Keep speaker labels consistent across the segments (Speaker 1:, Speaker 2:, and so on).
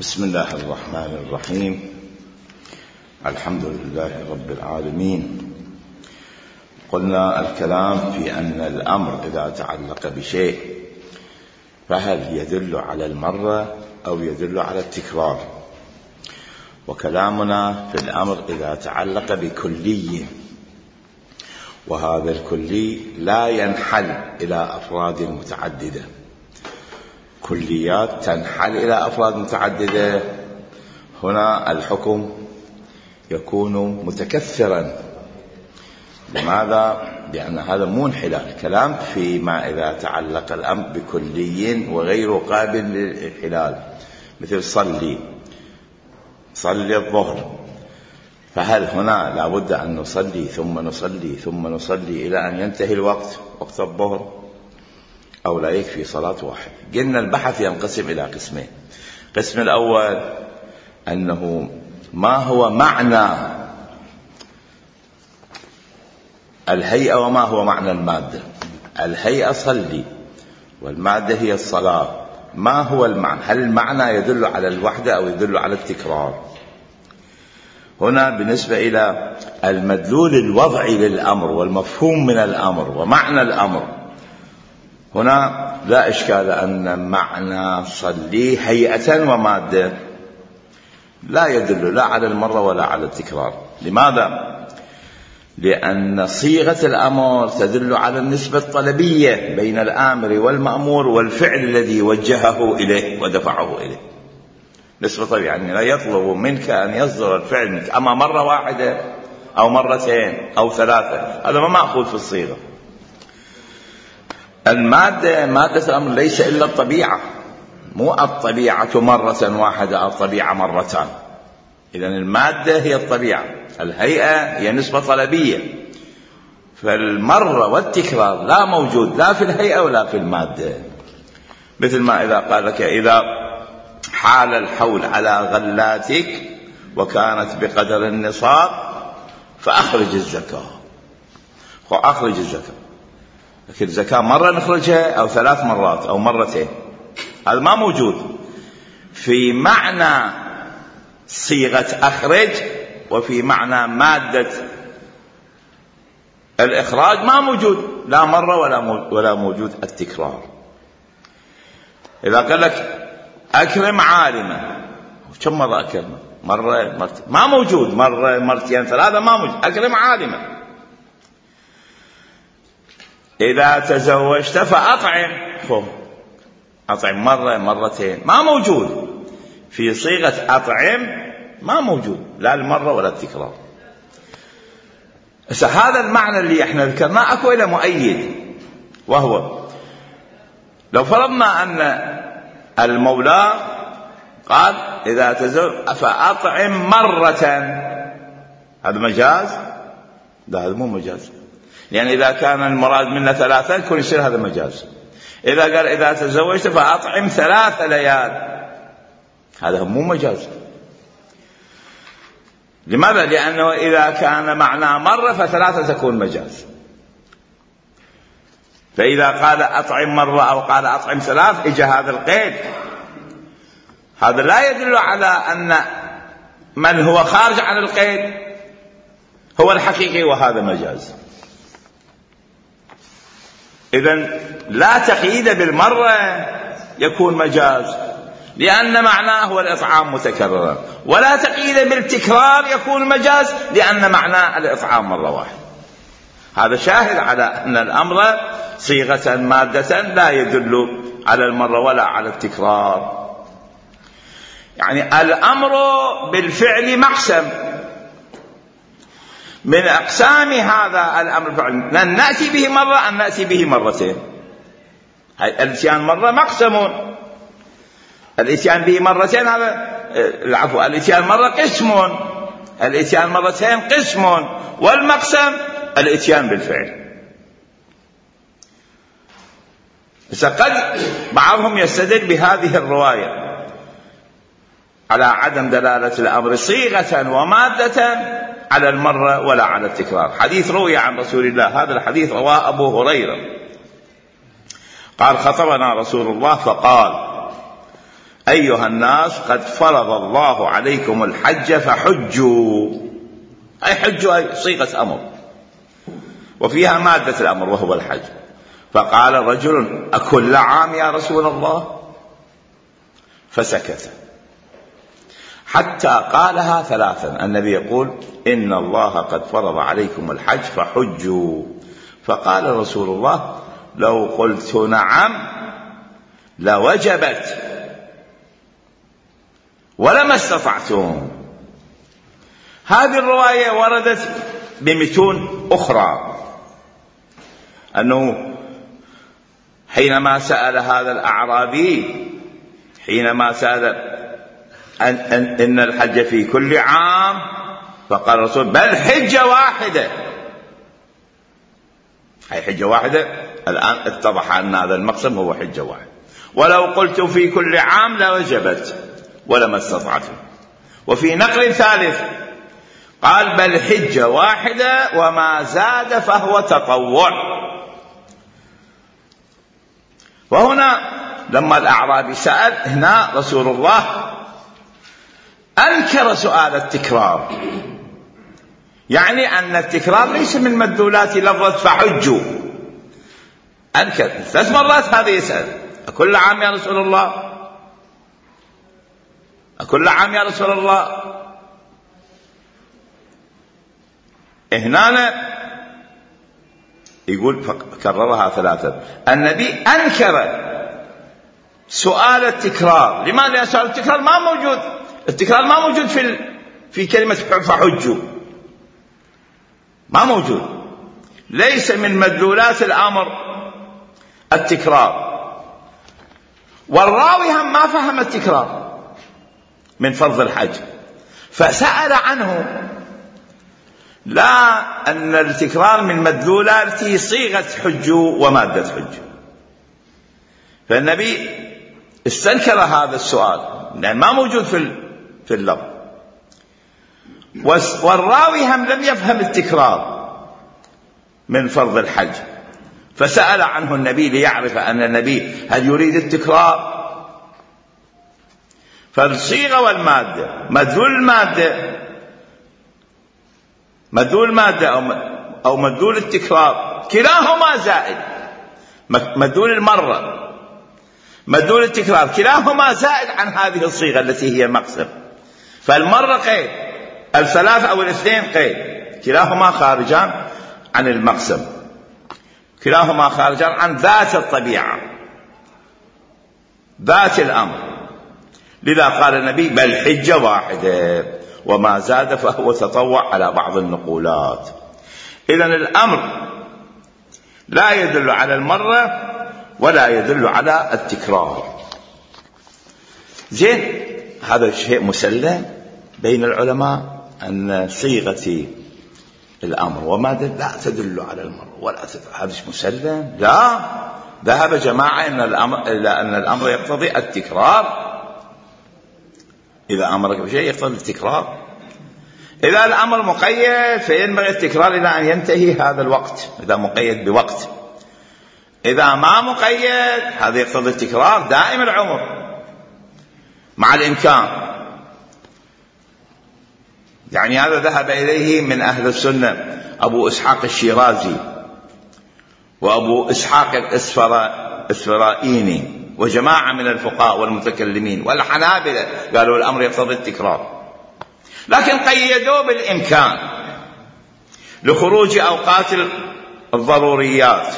Speaker 1: بسم الله الرحمن الرحيم. الحمد لله رب العالمين. قلنا الكلام في أن الأمر إذا تعلق بشيء فهل يدل على المرة أو يدل على التكرار، وكلامنا في الأمر إذا تعلق بكلي، وهذا الكلي لا ينحل إلى أفراد متعددة. كليات تنحل إلى أفراد متعددة، هنا الحكم يكون متكثرا. لماذا؟ لأن هذا مو انحلال. كلام فيما إذا تعلق الأمر بكلي وغير قابل للانحلال، مثل صلي الظهر، فهل هنا لابد أن نصلي ثم نصلي ثم نصلي إلى أن ينتهي الوقت، وقت الظهر، أو لا يكفي صلاة واحد؟ قلنا البحث ينقسم إلى قسمين. القسم الأول أنه ما هو معنى الهيئة وما هو معنى المادة. الهيئة صلي والمادة هي الصلاة، ما هو المعنى؟ هل المعنى يدل على الوحدة أو يدل على التكرار؟ هنا بالنسبة إلى المدلول الوضعي للأمر والمفهوم من الأمر ومعنى الأمر، هنا لا إشكال أن معنى صلي هيئة ومادة لا يدل لا على المرة ولا على التكرار. لماذا؟ لأن صيغة الأمر تدل على النسبة الطلبية بين الآمر والمأمور والفعل الذي وجهه إليه ودفعه إليه. نسبة طلبية، يعني لا يطلب منك أن يصدر الفعل منك أما مرة واحدة أو مرتين أو ثلاثة، هذا ما مأخوذ في الصيغة. المادة، مادة الأمر ليس إلا الطبيعة، مو الطبيعة مرة واحدة أو الطبيعة مرتان. إذن المادة هي الطبيعة، الهيئة هي نسبة طلبية، فالمرة والتكرار لا موجود لا في الهيئة ولا في المادة. مثل ما إذا قال لك إذا حال الحول على غلاتك وكانت بقدر النصاب فأخرج الزكاة، فأخرج الزكاة. لكن الزكاة مرة نخرجها أو 3 مرات أو مرتين، هذا ما موجود في معنى صيغة أخرج، وفي معنى مادة الإخراج ما موجود لا مرة ولا موجود التكرار. إذا قال لك أكرم عالمة، كم مرة أكرمه؟ مرة مرتين، ما موجود مرة مرتين 3 ما موجود. أكرم عالمة. إذا تزوجت فأطعم، أطعم مرة مرتين، ما موجود في صيغة أطعم، ما موجود لا المرة ولا التكرار. هذا المعنى اللي احنا ذكرناه أكو إلى مؤيد، وهو لو فرضنا أن المولى قال إذا تزوج فأطعم مرة، هذا مجاز؟ لا، هذا مو مجاز، يعني إذا كان المراد منا 3 يكون يصير هذا مجاز. إذا قال إذا تزوجت فأطعم 3 ليال، هذا مو مجاز. لماذا؟ لأنه إذا كان معناه مرة ف3 تكون مجاز. فإذا قال أطعم مرة أو قال أطعم 3 إجا هذا القيد، هذا لا يدل على أن من هو خارج عن القيد هو الحقيقي وهذا مجاز. إذن لا تقييد بالمرة يكون مجاز لأن معناه هو الإطعام متكررا، ولا تقييد بالتكرار يكون مجاز لأن معناه الإطعام مرة واحدة. هذا شاهد على أن الأمر صيغة مادة لا يدل على المرة ولا على التكرار. يعني الأمر بالفعل مقسم من أقسام هذا الأمر بالفعل، أن نأتي به مرة أن نأتي به مرتين. الاتيان مرة مقسم، الاتيان به مرتين هذا العفو، الاتيان مرة قسم، الاتيان مرتين قسم، والمقسم الاتيان بالفعل. بس قد بعضهم يستدل بهذه الرواية على عدم دلالة الأمر صيغة ومادة على المرة ولا على التكرار. حديث روي عن رسول الله، هذا الحديث رواه أبو هريرة قال خطبنا رسول الله فقال أيها الناس قد فرض الله عليكم الحج فحجوا، أي حجوا أي صيغة أمر وفيها مادة الأمر وهو الحج. فقال رجل أكل عام يا رسول الله؟ فسكت حتى قالها ثلاثا. النبي يقول إن الله قد فرض عليكم الحج فحجوا. فقال رسول الله لو قلت نعم لوجبت ولما استطعتم. هذه الرواية وردت بمتون أخرى أنه حينما سأل هذا الأعرابي، حينما سأل إن الحج في كل عام، فقال الرسول بل حجة واحدة، أي حجة واحدة. الآن اتضح أن هذا المقسم هو حجة واحدة. ولو قلت في كل عام لوجبت ولما استطعتم. وفي نقل ثالث قال بل حجة واحدة وما زاد فهو تطوع. وهنا لما الأعرابي سأل، هنا رسول الله أنكر سؤال التكرار، يعني أن التكرار ليس من مدلولات لفظة فحجوا. أنكر 3 مرات هذا يسأل أكل عام يا رسول الله؟ أكل عام يا رسول الله؟ هنا يقول فكررها 3. النبي أنكر سؤال التكرار. لماذا سؤال التكرار ما موجود؟ التكرار ما موجود في كلمة فحجوا، ما موجود، ليس من مدلولات الأمر التكرار. والراوي هم ما فهم التكرار من فرض الحج فسأل عنه، لا أن التكرار من مدلولات صيغة حجوا ومادة حجوا. فالنبي استنكر هذا السؤال لأن ما موجود في اللفظ. والراوي هم لم يفهم التكرار من فرض الحج فسأل عنه النبي ليعرف أن النبي هل يريد التكرار. فالصيغة والمادة، مدلول المادة أو مدلول التكرار كلاهما زائد. مدلول المرة، مدلول التكرار كلاهما زائد عن هذه الصيغة التي هي مقسم. فالمرة قيد، 3 أو 2 قيد، كلاهما خارجان عن المقسم، كلاهما خارجان عن ذات الطبيعة، ذات الأمر. لذا قال النبي بل حجة واحدة وما زاد فهو تطوع على بعض النقولات. إذن الأمر لا يدل على المرة ولا يدل على التكرار. زين، هذا شيء مسلم بين العلماء أن صيغة الأمر وما لا تدل على المرة ولا تدل. هذا مسلم. لا، ذهب جماعة إلى أن الأمر يقتضي التكرار. إذا أمرك بشيء يقتضي التكرار. إذا الأمر مقيد فينبغي التكرار إلى أن ينتهي هذا الوقت، إذا مقيد بوقت. إذا ما مقيد هذا يقتضي التكرار دائم العمر مع الإمكان. يعني هذا ذهب إليه من أهل السنة أبو إسحاق الشيرازي وأبو إسحاق الإسفرائيني وجماعة من الفقهاء والمتكلمين والحنابلة، قالوا الأمر يقتضي التكرار، لكن قيدوه بالإمكان لخروج أوقات الضروريات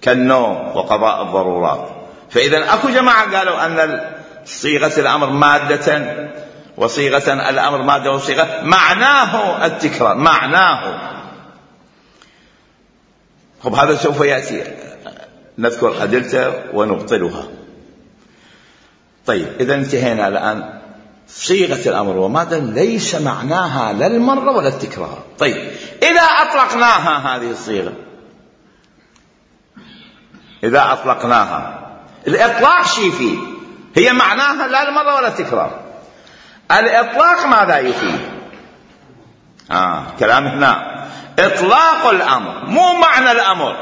Speaker 1: كالنوم وقضاء الضرورات. فإذا أكو جماعة قالوا أن صيغة الأمر مادة وصيغة الأمر مادة وصيغة معناه التكرار، معناه. طب هذا سوف يأتي نذكر أدلته ونبطلها. طيب، إذا انتهينا الآن. صيغة الأمر ومادة ليس معناها لا المرة ولا التكرار. طيب، إذا أطلقناها هذه الصيغة، إذا أطلقناها، الإطلاق شيء فيه، هي معناها لا المرة ولا التكرار. الإطلاق ماذا يفيد؟ كلام هنا إطلاق الأمر مو معنى الأمر.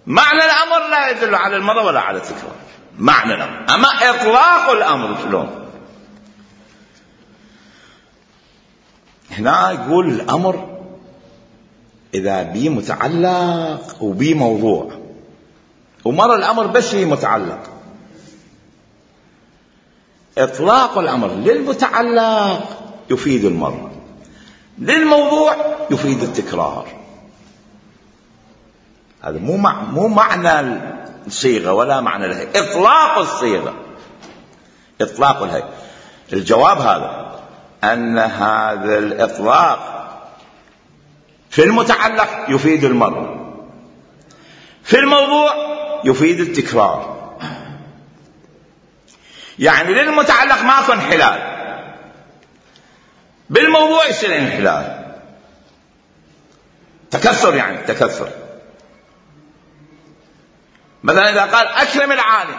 Speaker 1: معنى الأمر لا يدل على المرة ولا على التكرار. معنى الأمر. أما إطلاق الأمر شلون؟ هنا يقول الأمر إذا بي متعلق وبي موضوع، ومر الأمر بس بي متعلق. إطلاق الأمر للمتعلق يفيد المر، للموضوع يفيد التكرار. هذا مو معنى الصيغة ولا معنى الهيئة، إطلاق الصيغة، إطلاق الهيئة. الجواب هذا أن هذا الإطلاق في المتعلق يفيد المر، في الموضوع يفيد التكرار. يعني للمتعلق ماكو انحلال، بالموضوع يصير انحلال، تكسر، يعني تكسر. مثلا إذا قال أكرم العالم،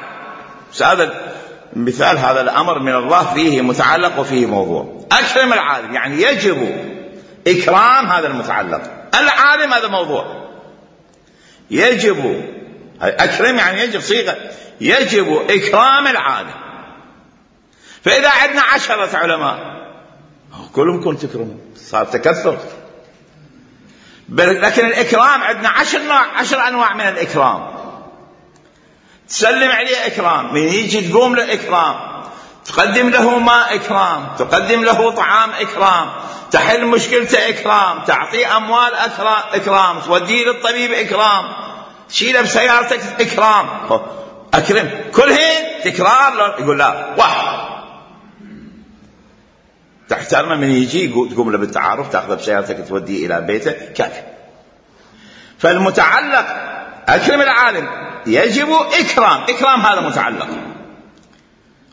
Speaker 1: هذا مثال، هذا الأمر من الله فيه متعلق وفيه موضوع. أكرم العالم يعني يجب إكرام هذا المتعلق، العالم هذا موضوع. يجب، أكرم يعني يجب، صيغة يجب إكرام العالم. فإذا عندنا 10 علماء كلهم كنت تكرمون، صار تكثر. لكن الإكرام عندنا 10 أنواع من الإكرام. تسلم عليه إكرام، من يجي تقوم له إكرام، تقدم له ماء إكرام، تقدم له طعام إكرام، تحل مشكلته إكرام، تعطيه أموال إكرام، توديه للطبيب إكرام، تشيله بسيارتك إكرام. أكرم كلهن تكرار. يقول لا، واحد تحترمه، من يجي تقوم له بالتعارف، تأخذه بسيارتك توديه إلى بيته، كافي. فالمتعلق أكرم العالم يجب إكرام هذا متعلق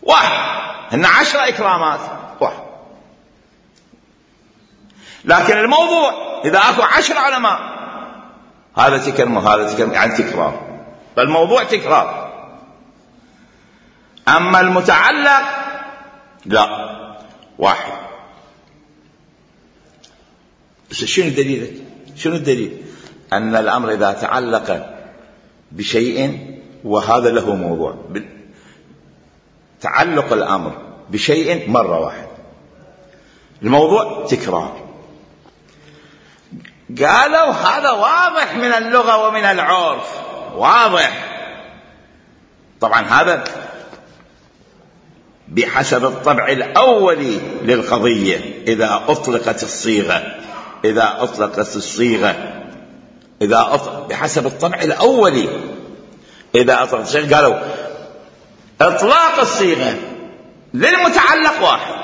Speaker 1: واحد، هن 10 إكرامات واحد. لكن الموضوع إذا أكو 10 علماء هذا تكرم وهذا تكرم، يعني تكرار، فالموضوع تكرار. أما المتعلق لا، واحد. بس شنو الدليل؟ شنو الدليل؟ أن الأمر إذا تعلق بشيء وهذا له موضوع، تعلق الأمر بشيء مرة واحد، الموضوع تكرار. قالوا هذا واضح من اللغة ومن العرف، واضح. طبعا هذا بحسب الطبع الأولي للقضية. إذا أطلقت الصيغة، بحسب الطبع الأولي، إذا أطلقت الصيغة، قالوا إطلاق الصيغة للمتعلق واحد،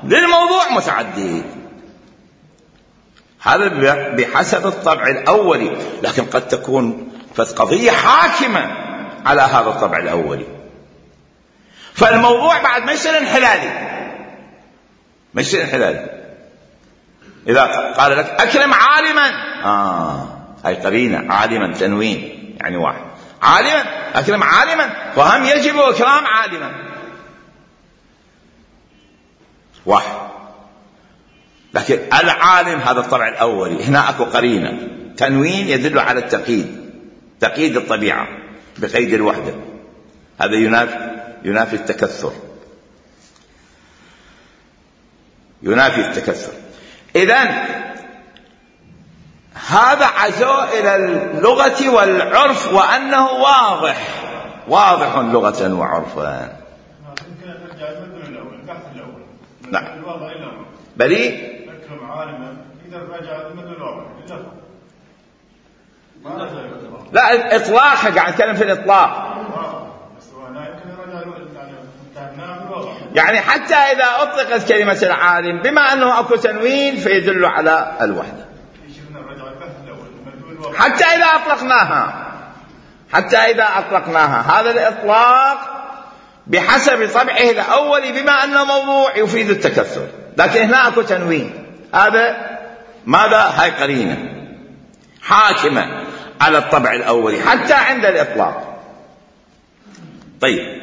Speaker 1: للموضوع متعدد. هذا بحسب الطبع الأولي. لكن قد تكون قضية حاكمة على هذا الطبع الأولي، فالموضوع بعد ما يصير انحلالي. إذا قال لك أكرم عالما، هاي قرينة، عالما تنوين يعني واحد، عالما أكرم عالما، فهم يجب إكرام عالما واحد. لكن العالم هذا الطبع الأولي، هنا أكو قرينة تنوين يدل على التقييد، تقييد الطبيعة بقيد الوحدة. هذا ينافي التكثر، إذن هذا عزو إلى اللغة والعرف، وأنه واضح لغة وعرفا. نعم، بلي لا، الإطلاق قاعد نتكلم في الإطلاق. يعني حتى إذا أطلقت كلمة العالم بما أنه أكو تنوين فيدل على الوحدة، حتى إذا أطلقناها هذا الإطلاق بحسب طبعه الأول بما أنه موضوع يفيد التكثر. لكن هنا أكو تنوين، هذا ماذا؟ هاي قرينة حاكمة على الطبع الأول حتى عند الإطلاق. طيب،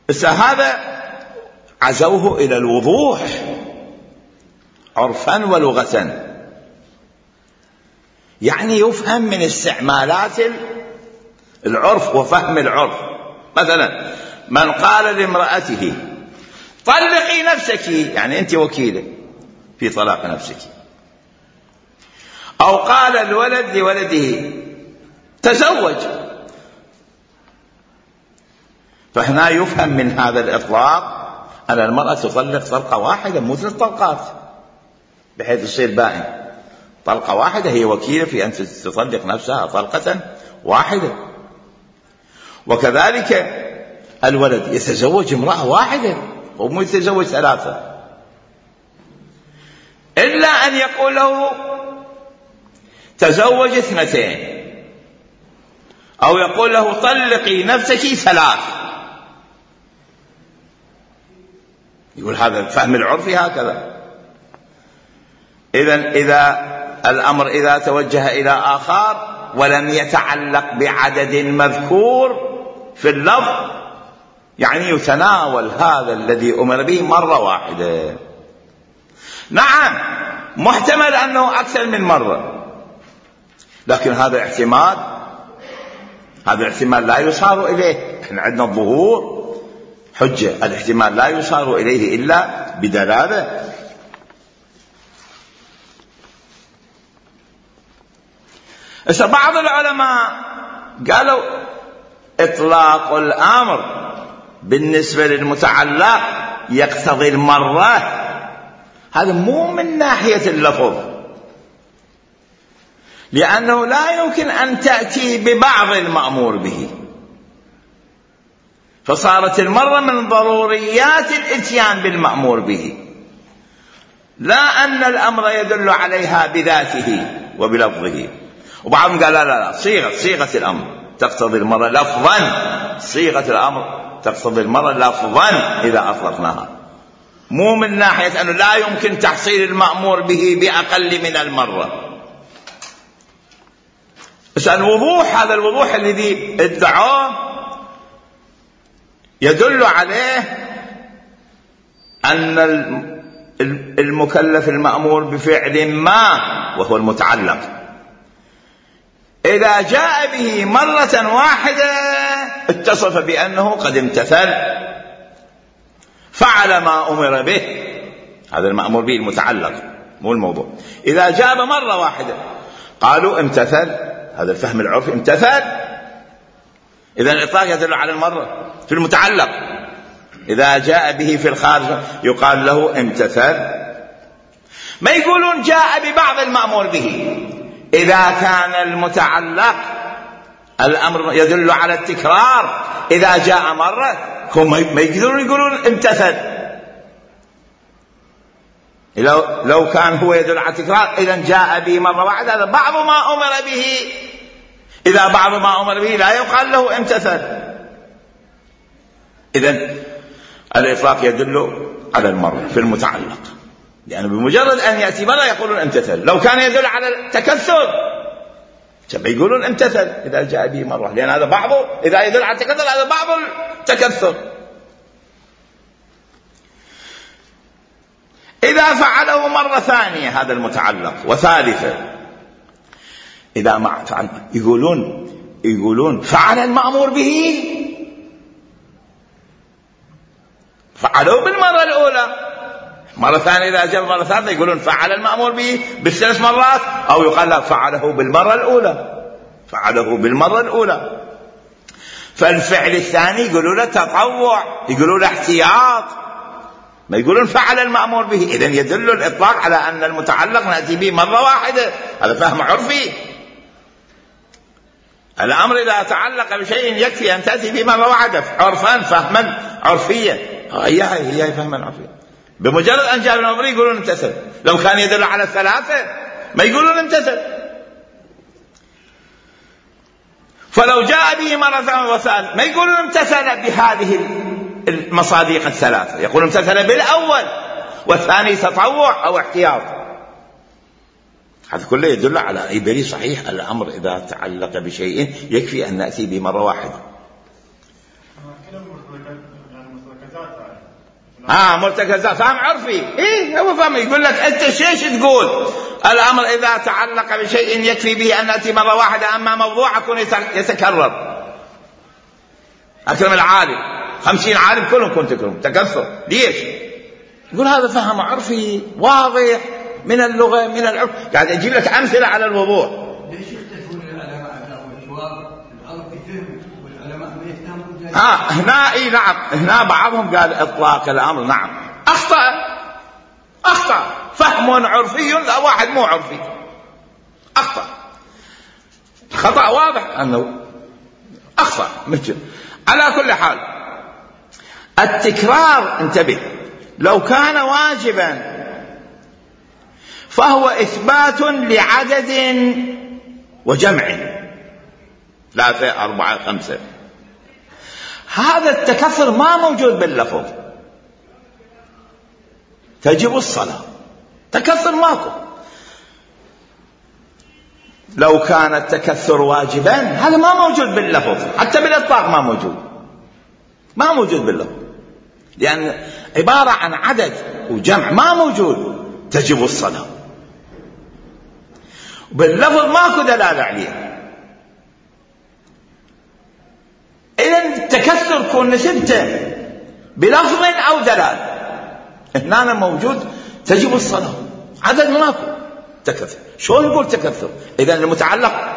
Speaker 1: بس هذا عزوه إلى الوضوح عرفا ولغة، يعني يفهم من استعمالات العرف وفهم العرف. مثلا من قال لامرأته طلقي نفسك، يعني أنت وكيلة في طلاق نفسك، أو قال الولد لولده تزوج، فهنا يفهم من هذا الإطلاق أن المرأة تطلق طلقة واحدة مو 3 طلقات بحيث يصير بائن. طلقة واحدة هي وكيلة في أن تطلق نفسها طلقة واحدة. وكذلك الولد يتزوج امرأة واحدة ومو يتزوج 3، إلا أن يقول له تزوج 2 أو يقول له طلقي نفسك 3. يقول هذا الفهم العرفي هكذا. إذا الأمر إذا توجه إلى آخر ولم يتعلق بعدد مذكور في اللفظ، يعني يتناول هذا الذي أمر به مرة واحدة. نعم محتمل أنه أكثر من مرة، لكن هذا احتمال لا يصار إليه. احنا عندنا الظهور حجة، الاحتمال لا يصار إليه إلا بدلالة. بعض العلماء قالوا إطلاق الأمر بالنسبة للمتعلق يقتضي المرة، هذا مو من ناحية اللفظ، لأنه لا يمكن أن تأتي ببعض المأمور به، فصارت المرة من ضروريات الإتيان بالمأمور به، لا أن الأمر يدل عليها بذاته وبلفظه. وبعضهم قال لا صيغة الأمر تقتضي المرة لفظا، صيغة الأمر تقتضي المرة لفظا إذا أطلقناها، مو من ناحية أنه لا يمكن تحصيل المأمور به بأقل من المرة. بس الوضوح، هذا الوضوح الذي ادعوه يدل عليه أن المكلف المأمور بفعل ما وهو المتعلق إذا جاء به مرة واحدة اتصف بأنه قد امتثل، فعل ما أمر به، هذا المأمور به المتعلق مو الموضوع. إذا جاء مرة واحدة قالوا امتثل، هذا الفهم العرفي امتثل. إذا الإطلاق يدل على المرة في المتعلق، إذا جاء به في الخارج يقال له امتثل. ما يقولون جاء ببعض المأمور به، إذا كان المتعلق الأمر يدل على التكرار، إذا جاء مرة هم ما يقدرون يقولون امتثل. لو كان هو يدل على التكرار إذا جاء به مرة واحدة، هذا بعض ما أمر به. إذا بعض ما أمر به لا يقال له امتثل. إذن الإطلاق يدل على المرة في المتعلق، لأنه بمجرد أن يأتي مرة يقولون امتثل. لو كان يدل على التكثر يقولون امتثل إذا جاء به مرة، لأن هذا بعضه، إذا يدل على التكثر هذا بعض التكثر. إذا فعله مرة ثانية هذا المتعلق وثالثة، إذا ما فعل يقولون فعل المأمور به، فعله بالمرة الأولى. مرة ثانية إذا جاء مرة ثالثة يقولون فعل المأمور به ب3 مرات، أو يقال لا فعله بالمرة الأولى، فعله بالمرة الأولى. فالفعل الثاني يقولون له تطوع، يقولون له احتياط، ما يقولون فعل المأمور به. إذن يدل الإطلاق على أن المتعلق نأتي به مرة واحدة، هذا فهم عرفي. الأمر إذا تعلق بشيء يكفي أن تأتي به مرة واحدة عرفان، فهما عرفيا، هي فهما عرفيا. بمجرد أن جاء الأمر يقولون امتثل. لو كان يدل على 3 ما يقولون امتثل. فلو جاء به مرة وثالث ما يقولون امتثل بهذه المصادق ال3، يقولون امتثل بالأول، والثاني تطوع أو احتياط. هذا كله يدل على أي دليل صحيح. الأمر إذا تعلق بشيء يكفي أن نأتي به مرة واحدة. مرتكزات، فهم عرفي. هو فهم. يقول لك أنت شيش تقول الأمر إذا تعلق بشيء يكفي به أن نأتي مرة واحدة، أما موضوع يكون يتكرر. أكرم العالم 50 عالم كلهم كنت تكرم، تكثر. ليش؟ يقول هذا فهم عرفي واضح من اللغة من العرف. قاعد أجيب لك أمثلة على الوضوح.
Speaker 2: ليش يختلفون العلماء على الجواب؟ العرف يفهم والعلماء ما يفهمون.
Speaker 1: هنا اي نعم، هنا بعضهم قال اطلاق الامر. نعم اخطأ فهم عرفي لا واحد مو عرفي، اخطأ خطأ واضح انه اخطأ مثل. على كل حال التكرار انتبه، لو كان واجبا فهو اثبات لعدد وجمع 3 4 5. هذا التكثر ما موجود باللفظ. تجب الصلاة، تكثر ماكو. لو كان التكثر واجبا هذا ما موجود باللفظ، حتى بالإطلاق ما موجود باللفظ، لأن عبارة عن عدد وجمع ما موجود. تجب الصلاة باللفظ ماكو دلالة عليه. إذن التكثر كون نسبته بلفظ أو دلالة. هنا موجود تجب الصلاة، عدد ماكو تكثر. شلون يقول تكثر؟ إذن المتعلق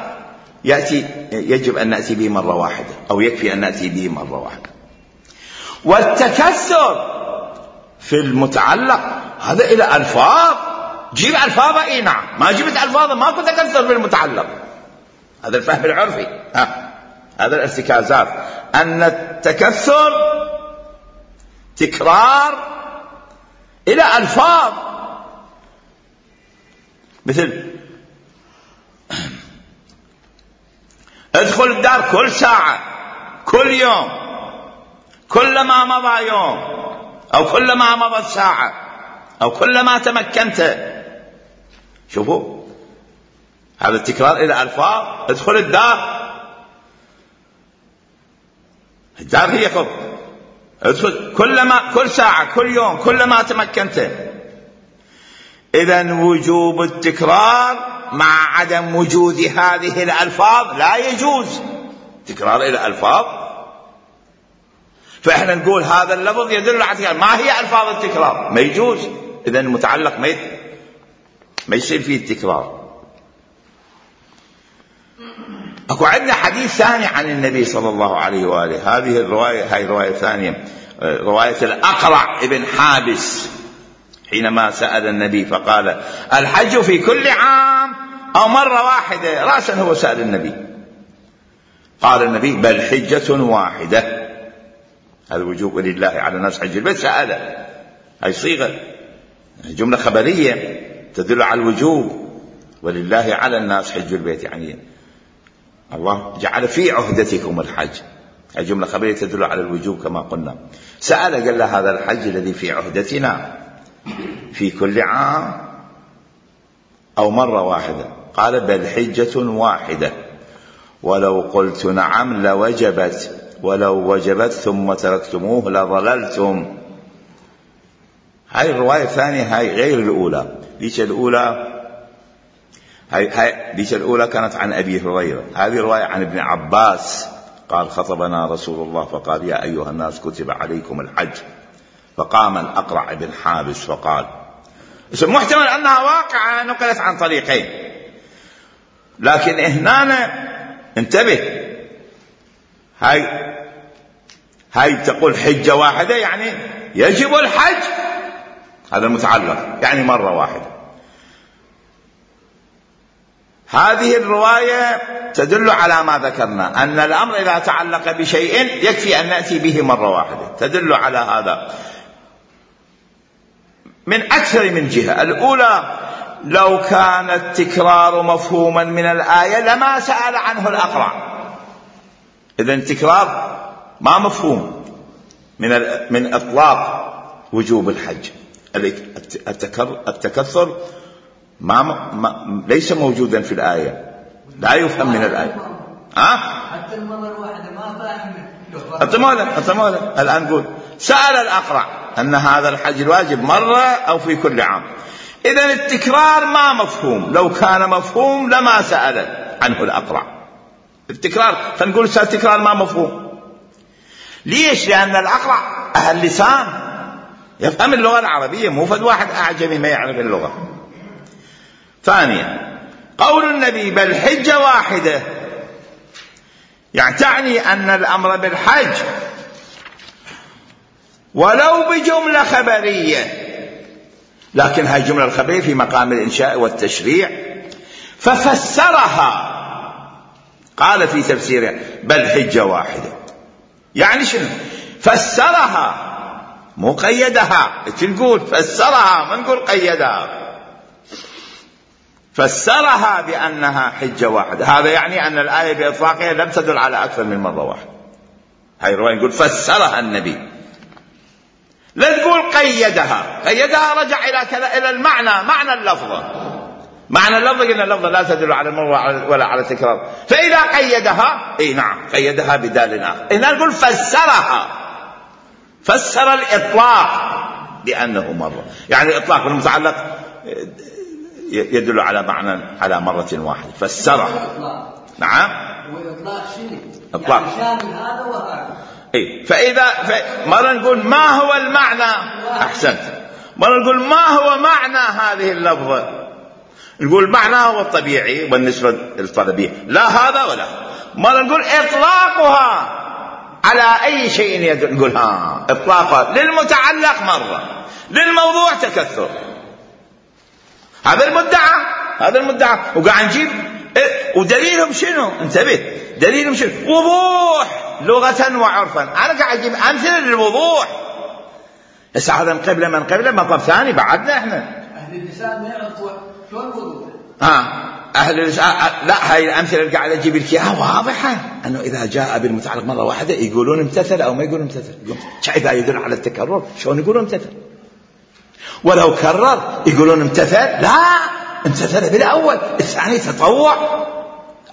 Speaker 1: يجب أن نأتي به مرة واحدة، أو يكفي أن نأتي به مرة واحدة. والتكثر في المتعلق هذا إلى ألفاظ. جيب ألفاظ اي نعم، ما جبت ألفاظ ماكو تكثر في المتعلق. هذا الفهم العرفي. هذا الارتكازات، أن التكثر تكرار إلى ألفاظ، مثل ادخل الدار كل ساعة، كل يوم، كلما مضى يوم، أو كلما مضت ساعة، أو كلما تمكنت. شوفوا هذا التكرار إلى ألفاظ. ادخل الدار، الدار هي خب، ادخل كل ساعة، كل يوم، كلما تمكنت. إذن وجوب التكرار مع عدم وجود هذه الألفاظ لا يجوز. تكرار إلى ألفاظ، فإحنا نقول هذا اللفظ يدل على التكرار. ما هي ألفاظ التكرار؟ ما يجوز. إذن المتعلق ما يصير فيه التكرار. أكو عندنا حديث ثاني عن النبي صلى الله عليه وآله. هذه الرواية، هاي رواية ثانية، رواية الأقرع ابن حابس، حينما سأل النبي فقال الحج في كل عام أو مرة واحدة؟ رأسا هو سأل النبي. قال النبي بل حجة واحدة. هذا وجوب لله على الناس حج البيت. سأله، هاي صيغة جملة خبرية تدل على الوجوب، ولله على الناس حج البيت، يعني الله جعل في عهدتكم الحج. هاي جملة خبرية تدل على الوجوب كما قلنا. سأل قال له هذا الحج الذي في عهدتنا في كل عام أو مرة واحدة؟ قال بل حجة واحدة، ولو قلت نعم لوجبت، ولو وجبت ثم تركتموه لضللتم. هاي الرواية الثانية، هاي غير الأولى. ليش الأولى؟ ليش الأولى كانت عن أبي هريرة، هذه رواية عن ابن عباس قال خطبنا رسول الله فقال يا أيها الناس كتب عليكم الحج، فقام الأقرع بن حابس فقال. محتمل أنها واقعة نقلت عن طريقين، لكن هنا انتبه، هاي تقول حجة واحدة يعني يجب الحج، هذا المتعلق يعني مرة واحدة. هذه الرواية تدل على ما ذكرنا، أن الأمر إذا تعلق بشيء يكفي أن نأتي به مرة واحدة، تدل على هذا من أكثر من جهة. الأولى لو كان التكرار مفهوما من الآية لما سأل عنه الأقرع. إذن التكرار ما مفهوم من إطلاق وجوب الحج. التكثر ليس موجودا في الآية، لا يفهم من الآية.
Speaker 2: حتى المرة الواحدة ما فاهم.
Speaker 1: الطمولة الآن نقول سأل الأقرع أن هذا الحج الواجب مرة أو في كل عام. إذن التكرار ما مفهوم، لو كان مفهوم لما سأل عنه الأقرع. التكرار فنقول التكرار ما مفهوم. ليش؟ لأن الأقرع أهل لسان، يفهم اللغة العربية، مو فد واحد أعجمي ما يعرف اللغة. ثانيا قول النبي بل حجة واحدة، يعني تعني أن الأمر بالحج ولو بجملة خبرية، لكن هاي الجملة الخبرية في مقام الإنشاء والتشريع، ففسرها قال في تفسيره بل حجة واحدة. يعني شنو؟ فسرها مو قيدها. تقول فسرها ما نقول قيدها، فسرها بأنها حجة واحدة. هذا يعني أن الآية بإطلاقها لم تدل على أكثر من مرة واحدة. هاي الرواية نقول فسرها النبي، لا تقول قيدها. قيدها رجع إلى المعنى، معنى اللفظة. معنى اللفظة قلنا اللفظة لا تدل على المرة ولا على التكرار. فإذا قيدها اي نعم قيدها بدال آخر. إذا نقول فسرها، فسر الإطلاق بأنه مرة، يعني الإطلاق بالمتعلق يدل على معنى على مرة واحدة. فسرها نعم.
Speaker 2: والإطلاق شنو؟
Speaker 1: إطلاق
Speaker 2: يعني شامل هذا وهذا.
Speaker 1: اي فإذا مرة نقول ما هو المعنى، أحسنت، مرة نقول ما هو معنى هذه اللفظة، نقول معناه هو الطبيعي والنسبة الطلبية، لا هذا ولا. مرة نقول إطلاقها على أي شيء يدل، نقول إطلاقها للمتعلق مرة، للموضوع تكثر. هذا المدعى، هذا المدعى. وقاعد نجيب ودليلهم شنو؟ انتبه، دليلهم شنو؟ وضوح لغة وعرفا. أنا قاعد أجيب أمثلة للوضوح. هسه هذا من قبله مطلب ثاني بعدنا إحنا.
Speaker 2: أهل اللسان ما يعرفوا شلون الوضوح.
Speaker 1: أهل اللسان لا، هاي الأمثلة اللي قاعد أجيب لك إياها واضحة، أنه إذا جاء بالمتعلق مرة واحدة يقولون امتثل أو ما يقولون امتثل. إذا يدل على التكرر شلون يقولون امتثل؟ ولو كرر يقولون امتثل؟ لا، امتثل بالأول، الثاني تطوع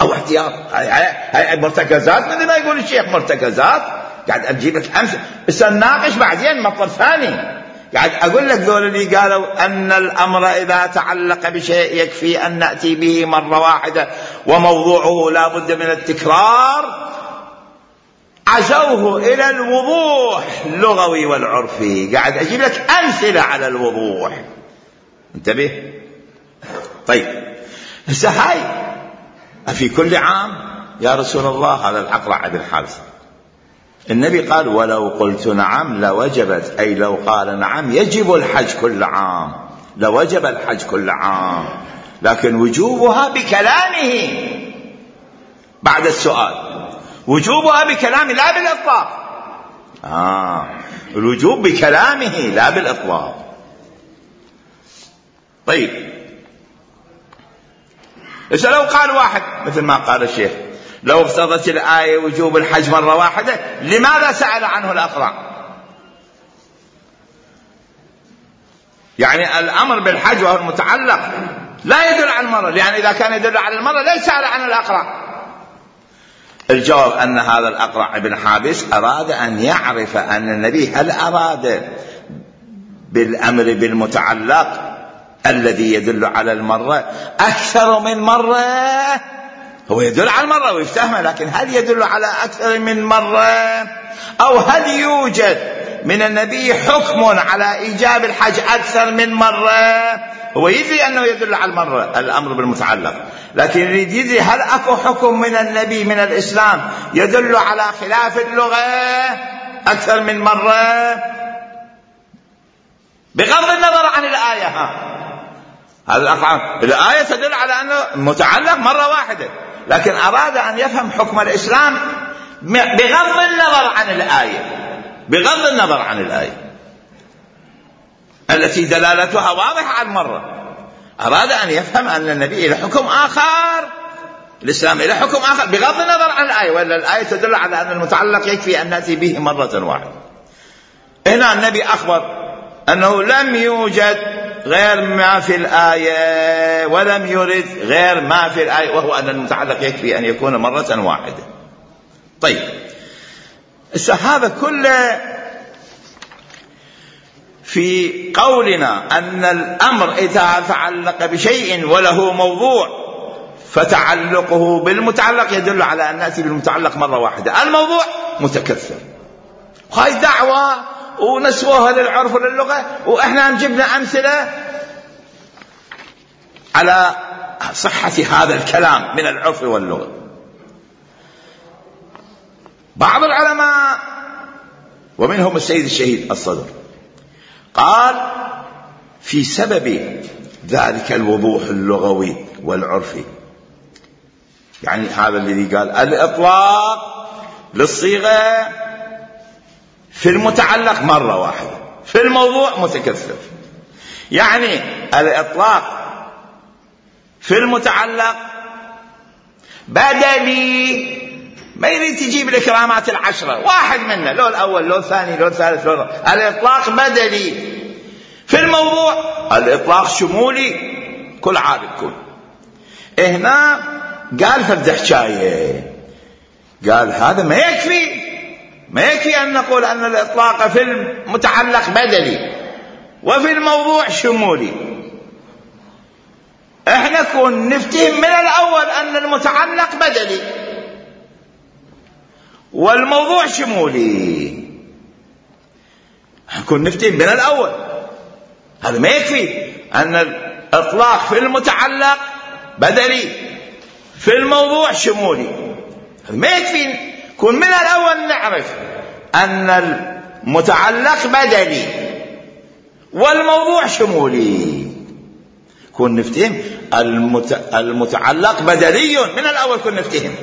Speaker 1: أو احتياط. هاي مرتكزات، مثل ما يقول الشيخ مرتكزات. قاعد أجيب لك أمثلة، بس نناقش بعدين مطلب ثاني. قاعد أقول لك ذول اللي قالوا أن الأمر إذا تعلق بشيء يكفي أن نأتي به مرة واحدة وموضوعه لا بد من التكرار، عزوه إلى الوضوح اللغوي والعرفي. قاعد أجيب لك أمثلة على الوضوح، انتبه. طيب هسه هاي في كل عام يا رسول الله هذا الأقرع بن حابس، النبي قال ولو قلت نعم لوجبت، أي لو قال نعم يجب الحج كل عام، لوجب الحج كل عام، لكن وجوبها بكلامه بعد السؤال، وجوبها بكلامه لا بالإطلاق. الوجوب بكلامه لا بالإطلاق. طيب إذا لو قال واحد مثل ما قال الشيخ لو اقتضت الآية وجوب الحج مرة واحدة، لماذا سأل عنه الأقرع؟ يعني الأمر بالحج وهو المتعلق لا يدل على المرة، لأن إذا كان يدل على المرة ليس سأل عن الأقرع. الجواب أن هذا الأقرع بن حابس أراد أن يعرف أن النبي هل أراد بالأمر بالمتعلق الذي يدل على المرة أكثر من مرة. هو يدل على المرة ويفتهمه، لكن هل يدل على أكثر من مرة؟ أو هل يوجد من النبي حكم على إيجاب الحج أكثر من مرة؟ هو يدري أنه يدل على المرة الأمر بالمتعلق، لكن يريد يدري هل أكو حكم من النبي من الإسلام يدل على خلاف اللغة أكثر من مرة، بغض النظر عن الآية. هذا الآية تدل على أنه متعلق مرة واحدة، لكن أراد أن يفهم حكم الإسلام بغض النظر عن الآية، بغض النظر عن الآية التي دلالتها واضحة عن مرة. أراد أن يفهم أن النبي إلى حكم آخر، الإسلام إلى حكم آخر بغض النظر عن الآية، ولا الآية تدل على أن المتعلق يكفي أن نأتي به مرة واحدة. هنا النبي أخبر أنه لم يوجد غير ما في الآية ولم يرد غير ما في الآية، وهو أن المتعلق يكفي أن يكون مرة واحدة. طيب هذا كله في قولنا أن الأمر إذا تعلق بشيء وله موضوع فتعلقه بالمتعلق يدل على أن نأتي بالمتعلق مرة واحدة، الموضوع متكثر. هاي دعوة ونسووها للعرف وللغة، وإحنا جبنا أمثلة على صحة هذا الكلام من العرف واللغة. بعض العلماء ومنهم السيد الشهيد الصدر قال في سبب ذلك الوضوح اللغوي والعرفي، يعني هذا الذي قال الإطلاق للصيغة في المتعلق مرة واحدة، في الموضوع متكثر. يعني الإطلاق في المتعلق بدلي، ما يريد تجيب الإكرامات العشرة واحد منه، لو الأول لو الثاني لو الثالث لو الإطلاق بدلي. في الموضوع الإطلاق شمولي، كل عارف كل. هنا قال فرد حكاية، قال هذا ما يكفي أن نقول أن الإطلاق في المتعلق بدلي وفي الموضوع شمولي. احنا كون نفتهم من الأول أن المتعلق بدلي والموضوع شمولي، كون نفتهم من الأول. هذا ما يكفي أن الإطلاق في المتعلق بدلي في الموضوع شمولي، هذا ما يكفي. كون من الأول نعرف أن المتعلق بدلي والموضوع شمولي، كون نفتهم المتعلق بدلي من الأول، كون نفتهم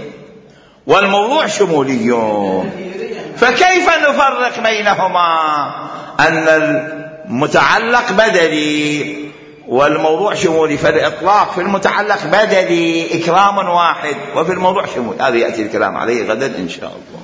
Speaker 1: والموضوع شمولي. فكيف نفرق بينهما أن المتعلق بدلي والموضوع شمولي؟ فالإطلاق في المتعلق بدلي إكرام واحد، وفي الموضوع شمولي. هذا يأتي الكلام عليه غدا إن شاء الله.